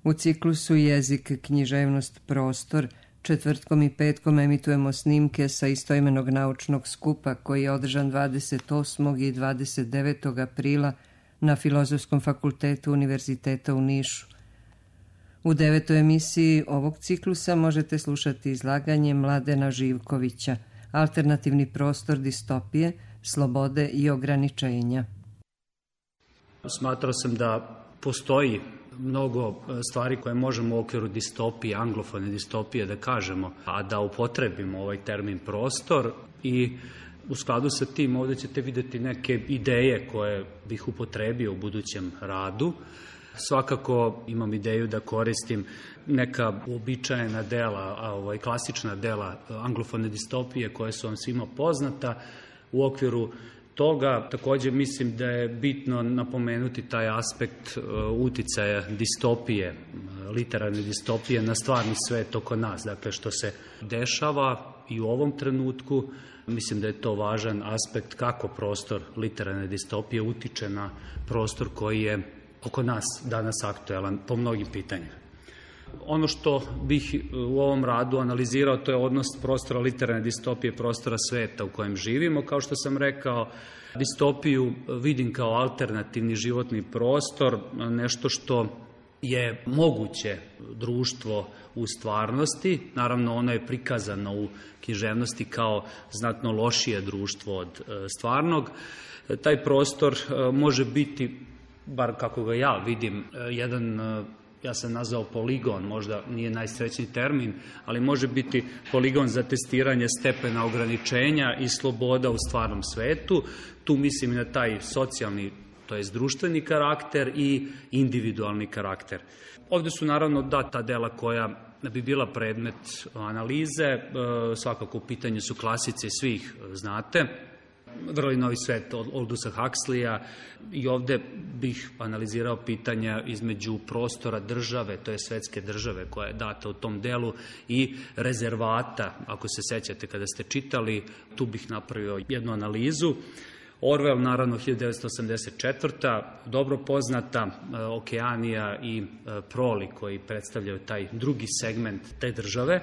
U ciklusu Jezik, književnost, prostor četvrtkom i petkom emitujemo snimke sa istoimenog naučnog skupa koji je održan 28. i 29. aprila na Filozofskom fakultetu Univerziteta u Nišu. U 9. emisiji ovog ciklusa možete slušati izlaganje Mladena Živkovića, Alternativni prostor distopije, slobode i ograničenja. Smatrao sam da postoji mnogo stvari koje možemo u okviru distopije, anglofone distopije da kažemo, a da upotrebimo ovaj termin prostor i u skladu sa tim ovdje ćete vidjeti neke ideje koje bih upotrebio u budućem radu. Svakako imam ideju da koristim neka uobičajena dela, klasična dela anglofone distopije koje su vam svima poznata. U okviru toga također mislim da je bitno napomenuti taj aspekt uticaja distopije, literarne distopije na stvarni svet oko nas, dakle što se dešava i u ovom trenutku. Mislim da je to važan aspekt kako prostor literarne distopije utiče na prostor koji je oko nas danas aktuelan po mnogim pitanjima. Ono što bih u ovom radu analizirao, to je odnos prostora literarne distopije, prostora sveta u kojem živimo. Kao što sam rekao, distopiju vidim kao alternativni životni prostor, nešto što je moguće društvo u stvarnosti. Naravno, ono je prikazano u književnosti kao znatno lošije društvo od stvarnog. Taj prostor može biti, bar kako ga ja vidim, jedan, ja sam nazvao poligon, možda nije najsrećniji termin, ali može biti poligon za testiranje stepena ograničenja i sloboda u stvarnom svetu. Tu mislim na taj socijalni, to jest društveni karakter i individualni karakter. Ovdje su naravno ta dela koja bi bila predmet analize, svakako u pitanju su klasice, svih znate, Vrli novi svet od Aldusa Huxleya, i ovdje bih analizirao pitanja između prostora države, to je svetske države koja je data u tom delu, i rezervata, ako se sećate kada ste čitali, tu bih napravio jednu analizu. Orwell, naravno, 1984. dobro poznata, Okeanija i Proli koji predstavljaju taj drugi segment te države.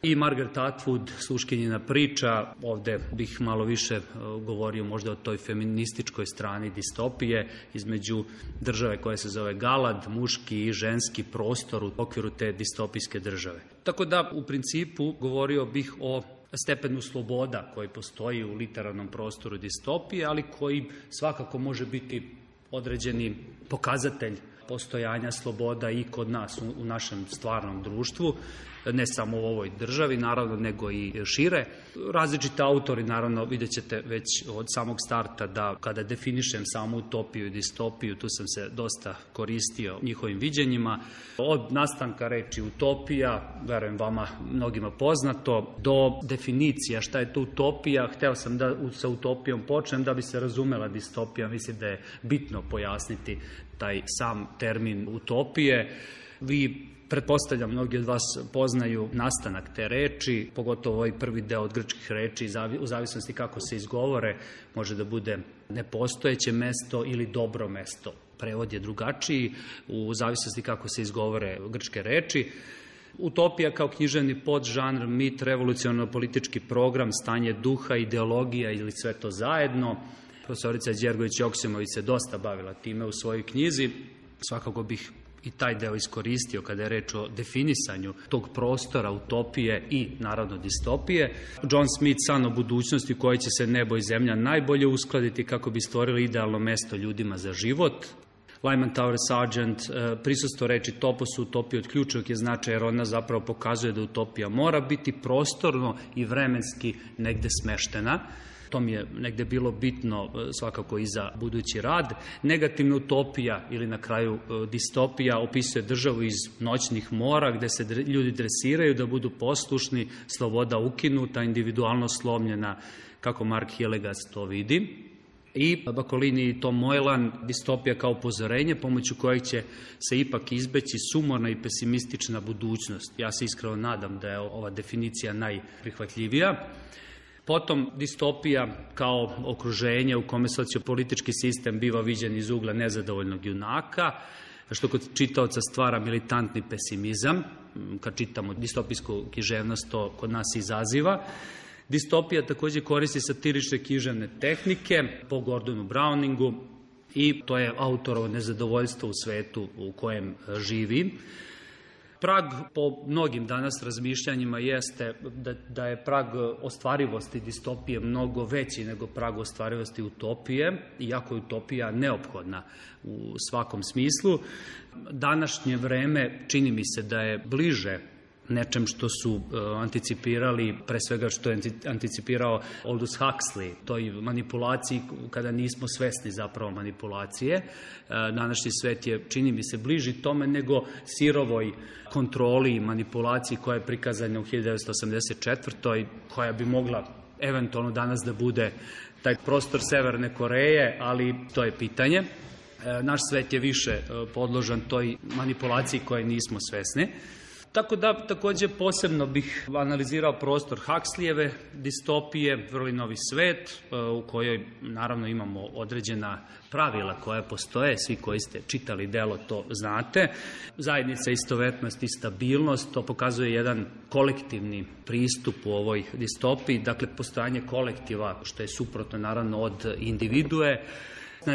I Margaret Atwood, Sluškinjina priča, ovdje bih malo više govorio možda o toj feminističkoj strani distopije između države koja se zove Galad, muški i ženski prostor u okviru te distopijske države. Tako da u principu govorio bih o stepenu sloboda koji postoji u literarnom prostoru distopije, ali koji svakako može biti određeni pokazatelj postojanja sloboda i kod nas u našem stvarnom društvu, ne samo u ovoj državi, naravno, nego i šire. Različiti autori, naravno, vidjet ćete već od samog starta da kada definišem samu utopiju i distopiju, tu sam se dosta koristio njihovim viđenjima. Od nastanka reči utopija, verujem vama mnogima poznato, do definicija šta je to utopija. Hteo sam da sa utopijom počnem da bi se razumela distopija. Mislim da je bitno pojasniti taj sam termin utopije. Vi, pretpostavljam, mnogi od vas poznaju nastanak te reči, pogotovo ovaj prvi deo od grčkih reči, u zavisnosti kako se izgovore, može da bude nepostojeće mesto ili dobro mesto. Prevod je drugačiji u zavisnosti kako se izgovore grčke reči. Utopija kao književni podžanr, mit, revolucionarno-politički program, stanje duha, ideologija ili sve to zajedno. Profesorica Đergović-Joksimović se dosta bavila time u svojoj knjizi. Svakako bih i taj deo iskoristio kada je reč o definisanju tog prostora, utopije i naravno distopije. John Smith, san o budućnosti u kojoj će se nebo i zemlja najbolje uskladiti kako bi stvorili idealno mesto ljudima za život. Lyman Tower Sargent, prisustvo reči topos u utopiji od ključnog je značaja, jer ona zapravo pokazuje da utopija mora biti prostorno i vremenski negde smeštena. To mi je negde bilo bitno svakako i za budući rad. Negativna utopija ili na kraju distopija opisuje državu iz noćnih mora gde se ljudi dresiraju da budu poslušni, sloboda ukinuta, individualnost slomljena, kako Mark Hillegas to vidi. I Bakolini i Tom Moylan, distopija kao upozorenje pomoću kojeg će se ipak izbeći sumorna i pesimistična budućnost. Ja se iskreno nadam da je ova definicija najprihvatljivija. Potom distopija kao okruženje u kome sociopolitički sistem biva viđen iz ugla nezadovoljnog junaka. što kod čitaoca stvara militantni pesimizam. Kad čitamo distopijsku književnost, to kod nas izaziva. Distopija također koristi satirične književne tehnike po Gordonu Browningu i to je autorovo nezadovoljstvo u svetu u kojem živi. Prag po mnogim danas razmišljanjima jeste da je prag ostvarivosti distopije mnogo veći nego prag ostvarivosti utopije, iako je utopija neophodna u svakom smislu. Današnje vreme čini mi se da je bliže nečem što su anticipirali, pre svega što je anticipirao Aldous Huxley, toj manipulaciji kada nismo svesni zapravo manipulacije. Današnji svet je, čini mi se, bliži tome nego sirovoj kontroli i manipulaciji koja je prikazana u 1984. koja bi mogla eventualno danas da bude taj prostor Severne Koreje, ali to je pitanje. Naš svet je više podložan toj manipulaciji koje nismo svesni. Tako da također posebno bih analizirao prostor Huxleyjeve distopije, Vrli novi svet, u kojoj naravno imamo određena pravila koja postoje, svi koji ste čitali delo to znate. Zajednica, istovetnost i stabilnost, to pokazuje jedan kolektivni pristup u ovoj distopiji, dakle postojanje kolektiva, što je suprotno naravno od individue.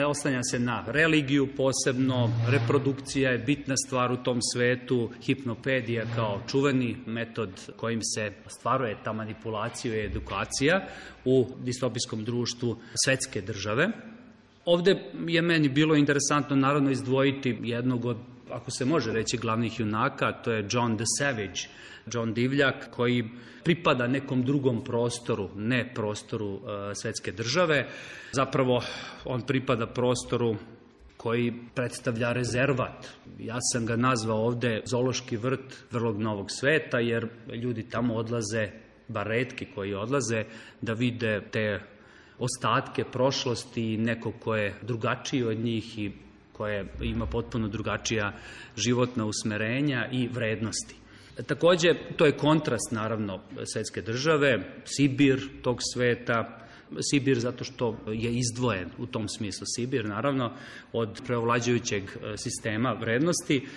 Oslanja se na religiju posebno, reprodukcija je bitna stvar u tom svetu, hipnopedija kao čuveni metod kojim se ostvaruje ta manipulacija i edukacija u distopijskom društvu svetske države. Ovdje je meni bilo interesantno naravno izdvojiti jednog od, ako se može reći, glavnih junaka, to je John the Savage, John Divljak, koji pripada nekom drugom prostoru, ne prostoru svetske države. Zapravo on pripada prostoru koji predstavlja rezervat. Ja sam ga nazvao ovdje zoološki vrt Vrlog novog sveta, jer ljudi tamo odlaze, bar retki koji odlaze, da vide te ostatke prošlosti i nekog ko je drugačiji od njih i koje ima potpuno drugačija životna usmerenja i vrednosti. Također, to je kontrast, naravno, svetske države, Sibir tog sveta, Sibir zato što je izdvojen u tom smislu, Sibir, naravno, od preovlađujućeg sistema vrednosti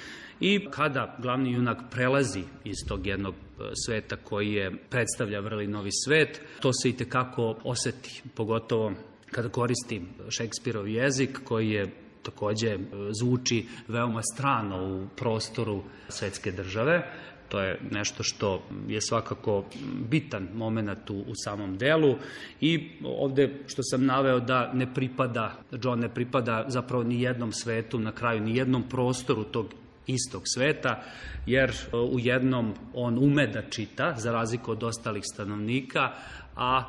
i kada glavni junak prelazi iz tog jednog sveta koji je predstavlja Vrli novi svet, to se itekako osjeti, pogotovo kada koristi Šekspirov jezik koji je također zvuči veoma strano u prostoru svetske države. To je nešto što je svakako bitan moment u samom delu i ovdje što sam naveo da John ne pripada zapravo ni jednom svetu, na kraju ni jednom prostoru tog istog sveta, jer u jednom on ume da čita, za razliku od ostalih stanovnika, a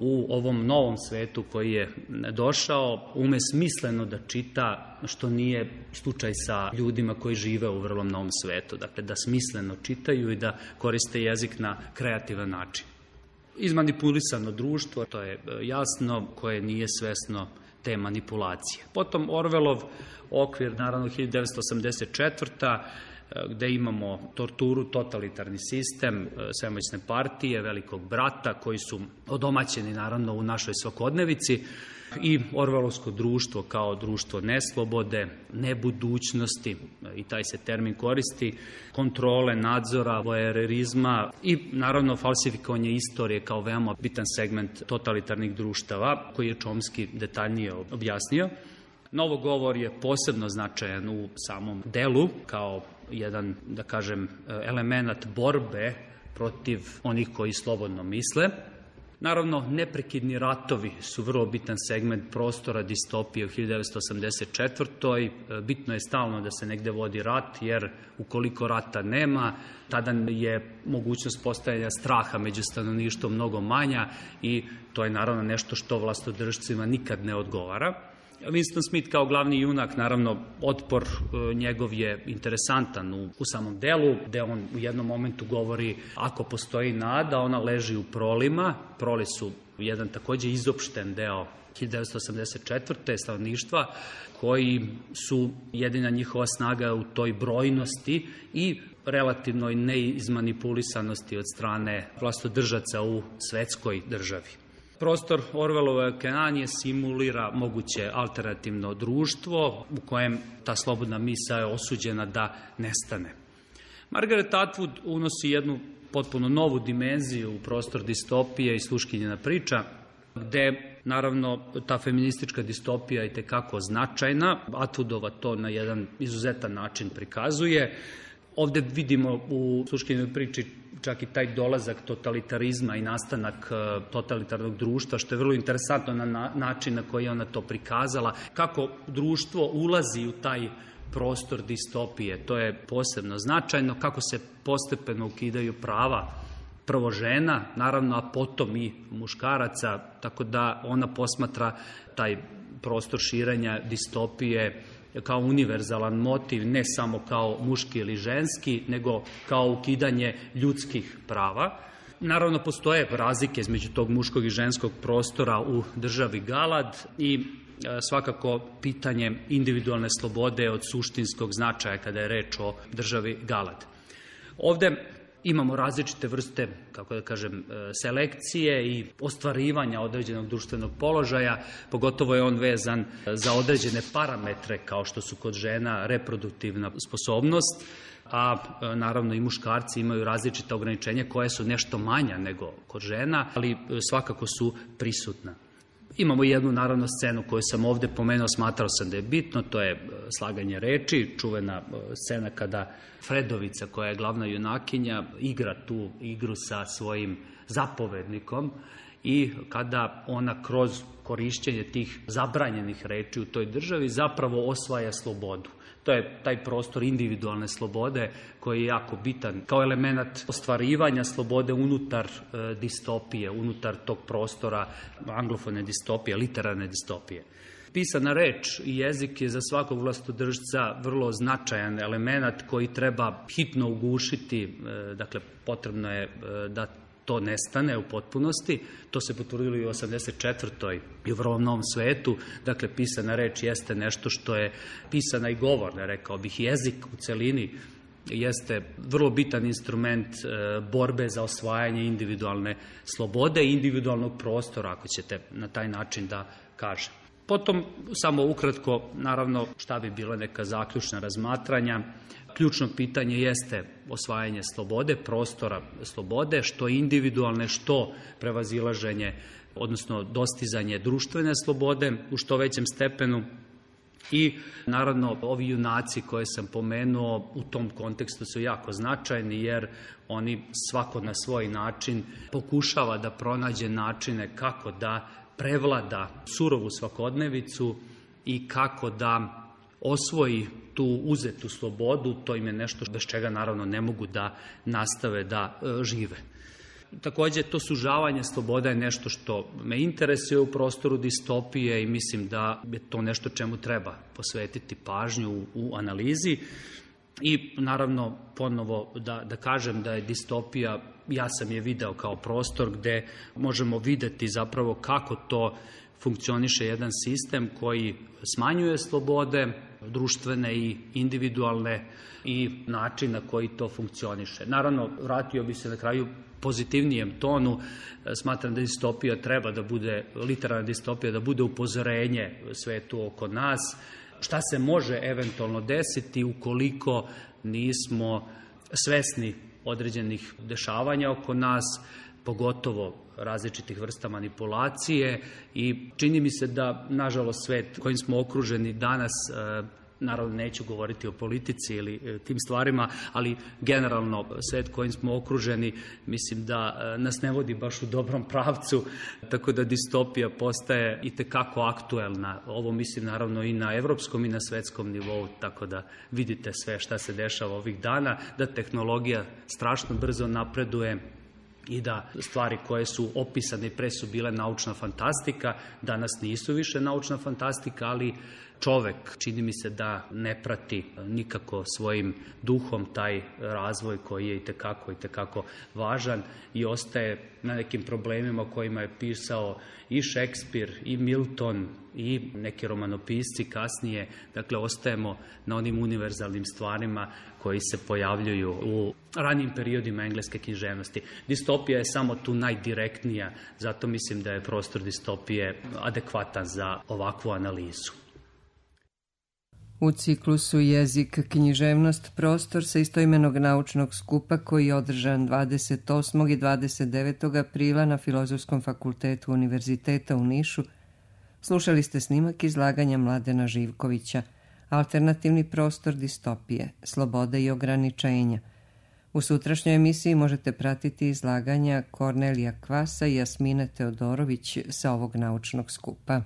u ovom novom svetu koji je došao ume smisleno da čita, što nije slučaj sa ljudima koji žive u vrlo novom svetu. Dakle, da smisleno čitaju i da koriste jezik na kreativan način. Izmanipulisano društvo, to je jasno, koje nije svesno te manipulacije. Potom Orwellov okvir, naravno 1984. gde imamo torturu, totalitarni sistem, svemoćne partije, velikog brata koji su odomaćeni naravno u našoj svakodnevici i Orwellovsko društvo kao društvo neslobode, nebudućnosti, i taj se termin koristi, kontrole, nadzora, vojererizma i naravno falsifikovanje istorije kao veoma bitan segment totalitarnih društava koji je Chomsky detaljnije objasnio. Novogovor je posebno značajan u samom delu kao jedan, da kažem, element borbe protiv onih koji slobodno misle. Naravno, neprekidni ratovi su vrlo bitan segment prostora distopije u 1984. Bitno je stalno da se negde vodi rat, jer ukoliko rata nema, tada je mogućnost postojanja straha među stanovništvom mnogo manja i to je naravno nešto što vlastodržcima nikad ne odgovara. Winston Smith kao glavni junak, naravno, otpor njegov je interesantan u samom delu, gde on u jednom momentu govori ako postoji nada, ona leži u prolima. Proli su jedan također izopšten deo 1984. stanovništva, koji su jedina njihova snaga u toj brojnosti i relativnoj neizmanipulisanosti od strane vlastodržaca u svetskoj državi. Prostor Orwellove Kenanije simulira moguće alternativno društvo u kojem ta slobodna misao je osuđena da nestane. Margaret Atwood unosi jednu potpuno novu dimenziju u prostor distopije i sluškinjena priča, gde naravno ta feministička distopija je itekako značajna. Atwoodova to na jedan izuzetan način prikazuje. Ovde vidimo u sluškinjenoj priči čak i taj dolazak totalitarizma i nastanak totalitarnog društva, što je vrlo interesantno na način na koji je ona to prikazala, kako društvo ulazi u taj prostor distopije. To je posebno značajno, kako se postepeno ukidaju prava prvo žena, naravno, a potom i muškaraca, tako da ona posmatra taj prostor širenja distopije kao univerzalan motiv, ne samo kao muški ili ženski, nego kao ukidanje ljudskih prava. Naravno, postoje razlike između tog muškog i ženskog prostora u državi Galad i svakako pitanje individualne slobode od suštinskog značaja kada je reč o državi Galad. Ovde imamo različite vrste, kako da kažem, selekcije i ostvarivanja određenog društvenog položaja, pogotovo je on vezan za određene parametre, kao što su kod žena reproduktivna sposobnost, a naravno i muškarci imaju različita ograničenja koje su nešto manja nego kod žena, ali svakako su prisutna. Imamo jednu, naravno, scenu koju sam ovde pomenuo, smatrao sam da je bitno, to je slaganje reči, čuvena scena kada Fredovica, koja je glavna junakinja, igra tu igru sa svojim zapovednikom i kada ona kroz korišćenje tih zabranjenih reči u toj državi zapravo osvaja slobodu. To je taj prostor individualne slobode koji je jako bitan kao element ostvarivanja slobode unutar distopije, unutar tog prostora anglofone distopije, literarne distopije. Pisana reč i jezik je za svakog vlastodržca vrlo značajan element koji treba hitno ugušiti, dakle potrebno je da to nestane u potpunosti. To se potvrdilo i u 84. i u vrlo novom svetu. Dakle, pisana reč jeste nešto što je pisana i govorna, rekao bih. Jezik u celini jeste vrlo bitan instrument borbe za osvajanje individualne slobode i individualnog prostora, ako ćete na taj način da kažem. Potom, samo ukratko, naravno, šta bi bila neka zaključna razmatranja. Ključno pitanje jeste osvajanje slobode, prostora slobode, što individualne, što prevazilaženje, odnosno dostizanje društvene slobode u što većem stepenu. I naravno ovi junaci koje sam pomenuo u tom kontekstu su jako značajni, jer oni svako na svoj način pokušava da pronađe načine kako da prevlada surovu svakodnevicu i kako da osvoji tu uzetu slobodu. To im je nešto bez čega naravno ne mogu da nastave da žive. Takođe, to sužavanje sloboda je nešto što me interesuje u prostoru distopije i mislim da je to nešto čemu treba posvetiti pažnju u analizi. I naravno, ponovo da kažem da je distopija, ja sam je video kao prostor gde možemo videti zapravo kako to funkcioniše jedan sistem koji smanjuje slobode, društvene i individualne, i način na koji to funkcioniše. Naravno, vratio bi se na kraju pozitivnijem tonu. Smatram da distopija treba da bude, literarna distopija, da bude upozorenje svetu oko nas, šta se može eventualno desiti ukoliko nismo svesni određenih dešavanja oko nas, pogotovo različitih vrsta manipulacije, i čini mi se da, nažalost, svet kojim smo okruženi danas, naravno neću govoriti o politici ili tim stvarima, ali generalno svet kojim smo okruženi, mislim da nas ne vodi baš u dobrom pravcu, tako da distopija postaje itekako aktuelna. Ovo mislim naravno i na evropskom i na svetskom nivou, tako da vidite sve šta se dešava ovih dana, da tehnologija strašno brzo napreduje i da stvari koje su opisane pre su bile naučna fantastika, danas nisu više naučna fantastika, ali čovek, čini mi se da ne prati nikako svojim duhom taj razvoj koji je itekako važan i ostaje na nekim problemima o kojima je pisao i Šekspir i Milton i neki romanopisci kasnije. Dakle, ostajemo na onim univerzalnim stvarima koji se pojavljuju u ranijim periodima engleske književnosti. Distopija je samo tu najdirektnija, zato mislim da je prostor distopije adekvatan za ovakvu analizu. U ciklusu Jezik, književnost, prostor sa istoimenog naučnog skupa koji je održan 28. i 29. aprila na Filozofskom fakultetu Univerziteta u Nišu, slušali ste snimak izlaganja Mladena Živkovića, Alternativni prostor distopije, sloboda i ograničenja. U sutrašnjoj emisiji možete pratiti izlaganja Kornelija Kvasa i Jasmine Teodorović sa ovog naučnog skupa.